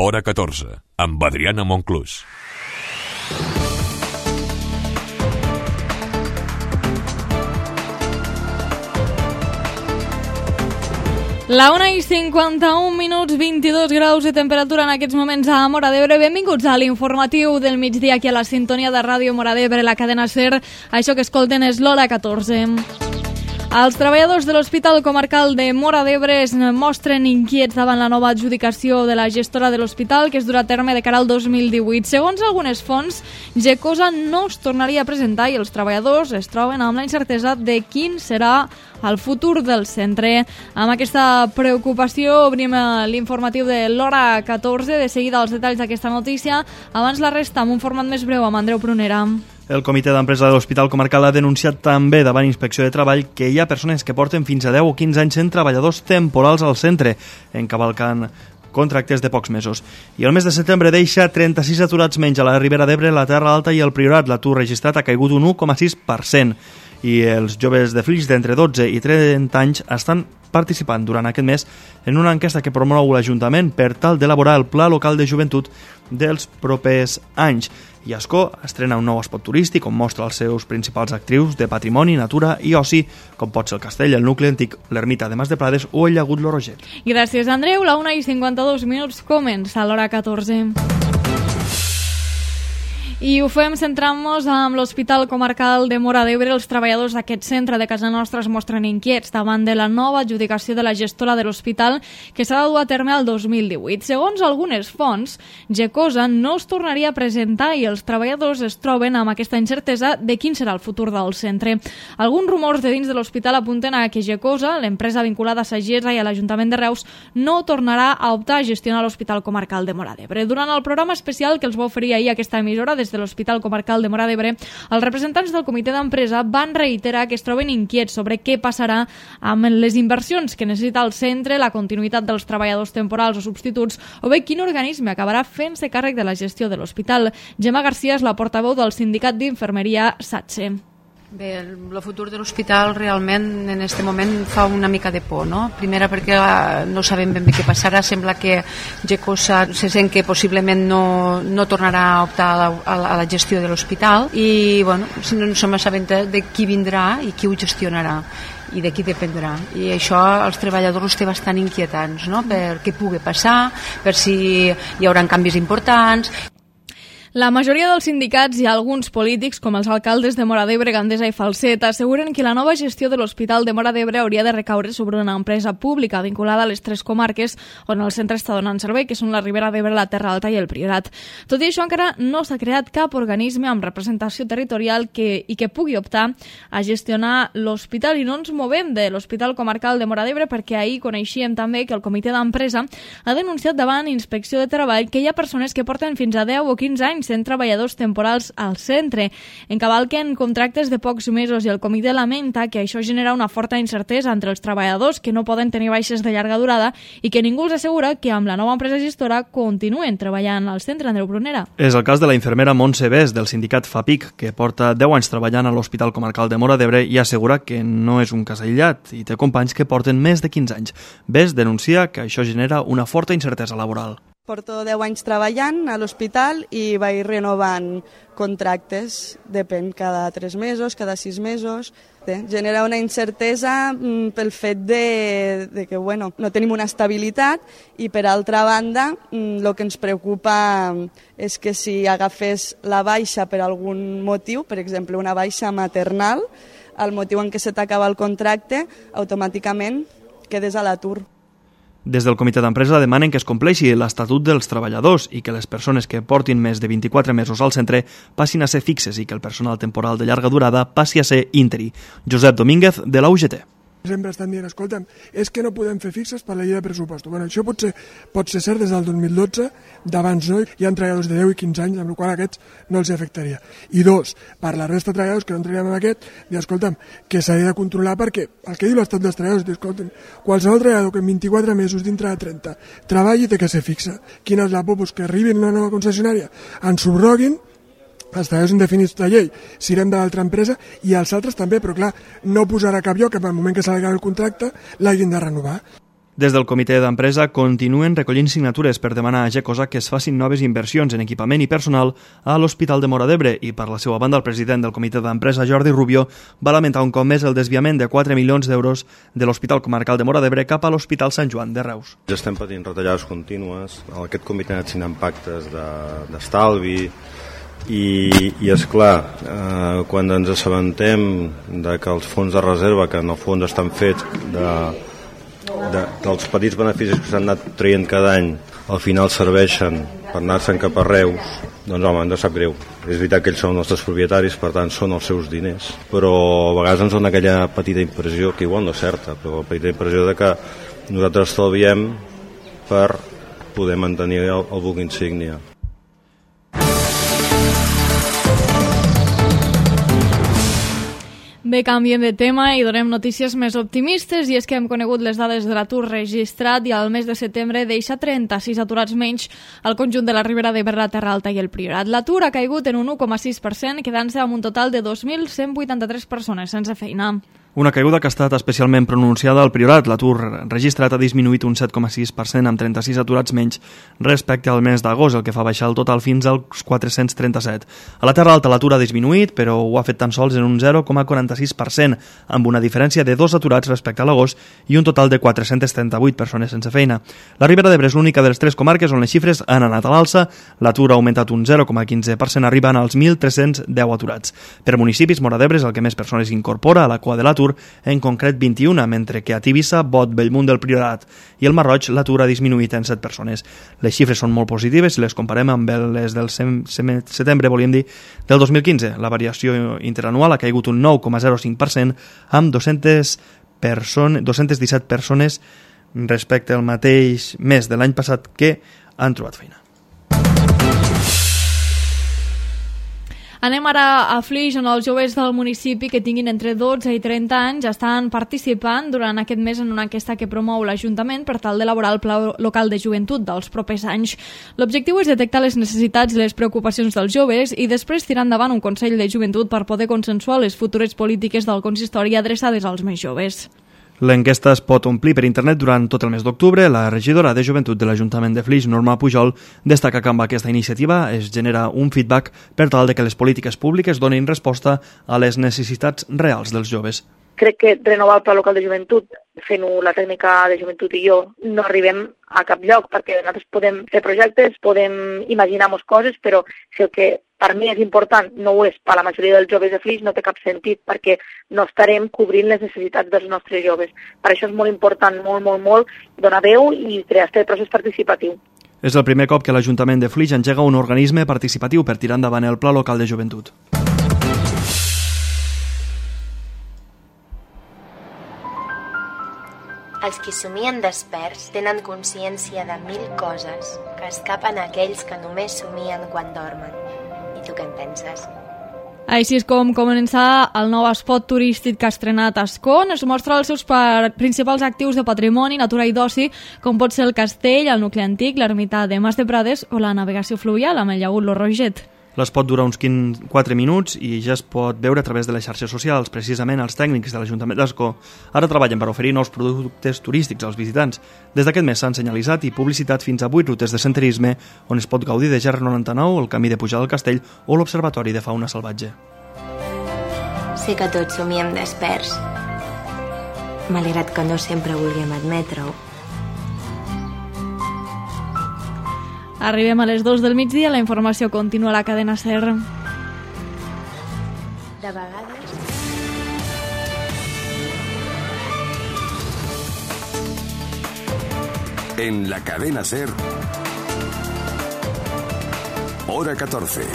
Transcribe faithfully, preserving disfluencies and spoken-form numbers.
Hora catorze, amb Adriana Monclús. La una i cinquanta-un minuts, vint-i-dos graus de temperatura en aquests moments a Móra d'Ebre. Benvinguts a l'informatiu del migdia aquí a la sintonia de Ràdio Móra d'Ebre, la cadena SER. Això que escolten és l'Hora catorze. Els treballadors de l'Hospital Comarcal de Móra d'Ebre es mostren inquiets davant la nova adjudicació de la gestora de l'hospital que es durà a terme de cara al dos mil divuit. Segons algunes fonts, Gecosa no es tornaria a presentar i els treballadors es troben amb la incertesa de quin serà el futur del centre. Amb aquesta preocupació obrim l'informatiu de l'Hora catorze. De seguida els detalls d'aquesta notícia. Abans la resta amb un format més breu amb Andreu Prunera. El comitè d'empresa de l'Hospital Comarcal ha denunciat també davant Inspecció de Treball que hi ha persones que porten fins a deu o quinze anys sent treballadors temporals al centre, encavalcant contractes de pocs mesos. I el mes de setembre deixa trenta-sis aturats menys a la Ribera d'Ebre, la Terra Alta i el Priorat. L'atur registrat ha caigut un u coma sis per cent i els joves de Flix d'entre dotze i trenta anys estan participant durant aquest mes en una enquesta que promou l'Ajuntament per tal d'elaborar el Pla Local de Joventut dels propers anys. I Ascó estrena un nou espot turístic on mostra els seus principals actrius de patrimoni, natura i oci, com pot ser el castell, el nucli antic, l'ermita de Mas de Prades o el llagut Lo Roget. Gràcies, Andreu. La una i cinquanta-dos minuts comença l'Hora catorze. I ho fem centrant-nos amb l'Hospital Comarcal de Móra d'Ebre. Els treballadors d'aquest centre de casa nostra es mostren inquiets davant de la nova adjudicació de la gestora de l'hospital que s'ha de dur a terme el dos mil divuit. Segons algunes fonts, Gecosa no es tornaria a presentar i els treballadors es troben amb aquesta incertesa de quin serà el futur del centre. Alguns rumors de dins de l'hospital apunten a que Gecosa, l'empresa vinculada a Sagessa i a l'Ajuntament de Reus, no tornarà a optar a gestionar l'Hospital Comarcal de Móra d'Ebre. Durant el programa especial que els va oferir ahir aquesta emissora des de l'Hospital Comarcal de Móra d'Ebre, els representants del comitè d'empresa van reiterar que es troben inquiets sobre què passarà amb les inversions que necessita el centre, la continuïtat dels treballadors temporals o substituts, o bé quin organisme acabarà fent-se càrrec de la gestió de l'hospital. Gemma García és la portaveu del sindicat d'infermeria SATSE. Bé, el futur de l'hospital realment en aquest moment fa una mica de por, no? Primera perquè no sabem ben bé què passarà, sembla que Gecosa se sent que possiblement no, no tornarà a optar a la, a la gestió de l'hospital i bueno, no som assabentats de qui vindrà i qui ho gestionarà i de qui dependrà, i això els treballadors els té bastant inquietants, no? Per què pugui passar, per si hi haurà canvis importants. La majoria dels sindicats i alguns polítics, com els alcaldes de Móra d'Ebre, Gandesa i Falset, asseguren que la nova gestió de l'Hospital de Móra d'Ebre hauria de recaure sobre una empresa pública vinculada a les tres comarques on el centre està donant servei, que són la Ribera d'Ebre, la Terra Alta i el Priorat. Tot i això, encara no s'ha creat cap organisme amb representació territorial que, i que pugui optar a gestionar l'hospital, i no ens movem de l'Hospital Comarcal de Móra d'Ebre perquè ahir coneixíem també que el comitè d'empresa ha denunciat davant Inspecció de Treball que hi ha persones que porten fins a deu o quinze anys sent treballadors temporals al centre. Encavalquen contractes de pocs mesos i el comitè lamenta que això genera una forta incertesa entre els treballadors que no poden tenir baixes de llarga durada i que ningú els assegura que amb la nova empresa gestora continuen treballant al centre. Andreu Brunera. És el cas de la infermera Montse Bes del sindicat FAPIC, que porta deu anys treballant a l'Hospital Comarcal de Móra d'Ebre i assegura que no és un cas aïllat i té companys que porten més de quinze anys. Bes denuncia que això genera una forta incertesa laboral. Porto deu anys treballant a l'hospital i vaig renovant contractes, depèn, cada tres mesos, cada sis mesos. Genera una incertesa pel fet de, de que bueno, no tenim una estabilitat i, per altra banda, el que ens preocupa és que si agafés la baixa per algun motiu, per exemple, una baixa maternal, el motiu en què se t'acaba el contracte, automàticament quedes a l'atur. Des del comitè d'empresa demanen que es compleixi l'Estatut dels Treballadors i que les persones que portin més de vint-i-quatre mesos al centre passin a ser fixes i que el personal temporal de llarga durada passi a ser interí. Josep Domínguez, de la U G T. Sempre estan dient, escolta'm, és que no podem fer fixes per la llei de pressupostos. Bueno, això pot ser, pot ser cert des del dos mil dotze, d'abans no, hi ha treballadors de deu i quinze anys, amb el qual aquests no els afectaria. I dos, per la resta de treballadors que no entraríem en aquest, dir, escolta'm, que s'ha de controlar perquè el que diu l'Estat dels Treballadors, dir, escolta'm, qualsevol treballador que en vint-i-quatre mesos dintre de trenta treballi té que ser fixa. Quina és la por? Pues que arribin a una nova concessionària, ens subroguin, els treballadors indefinits de llei sirem de l'altra empresa i els altres també, però clar, no posarà cap lloc que en el moment que s'ha d'acabar el contracte l'hagin de renovar. Des del comitè d'empresa continuen recollint signatures per demanar a Gecosa que es facin noves inversions en equipament i personal a l'Hospital de Móra d'Ebre i, per la seva banda, el president del comitè d'empresa, Jordi Rubio, va lamentar un cop més el desviament de quatre milions d'euros de l'Hospital Comarcal de Móra d'Ebre cap a l'Hospital Sant Joan de Reus. Ja estem patint retallades contínues. Aquest comitè ha anat signant pactes d'estalvi i, i és clar, eh, quan ens assabentem de que els fons de reserva, que en el fons estan fets de De, dels petits beneficis que s'han anat traient cada any, al final serveixen per anar-se'n cap a Reus, doncs home, ens sap greu. És veritat que ells són els nostres propietaris, per tant són els seus diners, però a vegades ens dona aquella petita impressió, que igual no és certa, però la petita impressió de que nosaltres estalviem per poder mantenir el, el buc insígnia. Bé, canviem de tema i donem notícies més optimistes, i és que hem conegut les dades de l'atur registrat i al mes de setembre deixa trenta-sis aturats menys al conjunt de la Ribera d'Ebre, la Terra Alta i el Priorat. L'atur ha caigut en un u coma sis per cent, quedant-se amb un total de dos mil cent vuitanta-tres persones sense feina. Una caiguda que ha estat especialment pronunciada al Priorat. L'atur registrat ha disminuït un set coma sis per cent amb trenta-sis aturats menys respecte al mes d'agost, el que fa baixar el total fins als quatre-cents trenta-set. A la Terra Alta l'atur ha disminuït, però ho ha fet tan sols en un zero coma quaranta-sis per cent, amb una diferència de dos aturats respecte a l'agost i un total de quatre-cents trenta-vuit persones sense feina. La Ribera d'Ebre és l'única de les tres comarques on les xifres han anat a l'alça. L'atur ha augmentat un zero coma quinze per cent, arribant als mil tres-cents deu aturats. Per municipis, Móra d'Ebre és el que més persones incorpora a la cua de l'atur, en concret vint-i-un, mentre que a Tivissa, Bot, Bellmunt del Priorat i el Marroig l'atur ha disminuït en set persones. Les xifres són molt positives si les comparem amb les del setembre, volíem dir, del dos mil quinze. La variació interanual ha caigut un nou coma zero cinc per cent amb dos-centes persones, dos-centes disset persones respecte al mateix mes de l'any passat que han trobat feina. Anem ara a Flix, on els joves del municipi que tinguin entre dotze i trenta anys estan participant durant aquest mes en una enquesta que promou l'Ajuntament per tal d'elaborar el Pla Local de Joventut dels propers anys. L'objectiu és detectar les necessitats i les preocupacions dels joves i després tirar endavant un Consell de Joventut per poder consensuar les futures polítiques del consistori adreçades als més joves. L'enquesta es pot omplir per internet durant tot el mes d'octubre. La regidora de Joventut de l'Ajuntament de Flix, Norma Pujol, destaca que amb aquesta iniciativa es genera un feedback per tal de que les polítiques públiques donin resposta a les necessitats reals dels joves. Crec que renovar el Pla Local de Joventut, fent-ho la tècnica de joventut i jo, no arribem a cap lloc, perquè nosaltres podem fer projectes, podem imaginar-nos coses, però si el que per mi és important no ho és per la majoria dels joves de Flix, no té cap sentit, perquè no estarem cobrint les necessitats dels nostres joves. Per això és molt important, molt, molt, molt, donar veu i crear aquest procés participatiu. És el primer cop que l'Ajuntament de Flix engega un organisme participatiu per tirar endavant el Pla Local de Joventut. Els qui somien desperts tenen consciència de mil coses que escapen a aquells que només somien quan dormen. I tu què en penses? Així és com comença el nou espot turístic que ha estrenat Ascon. Es mostra els seus principals actius de patrimoni, natura i d'oci, com pot ser el castell, el nucli antic, l'ermita de Mas de Prades o la navegació fluvial amb el llagut Lo Roget. L'espot dura uns quatre minuts i ja es pot veure a través de les xarxes socials. Precisament els tècnics de l'Ajuntament d'Ascó ara treballen per oferir nous productes turístics als visitants. Des d'aquest mes s'han senyalitzat i publicitat fins a vuit rutes de senderisme on es pot gaudir de G R noranta-nou, el camí de pujada al castell o l'Observatori de Fauna Salvatge. Sé que tots somiem desperts, malgrat que no sempre vulguem admetre-ho. Arribem a les dues del migdia, la informació continua a la cadena SER. De vegades... En la cadena SER, hora catorce.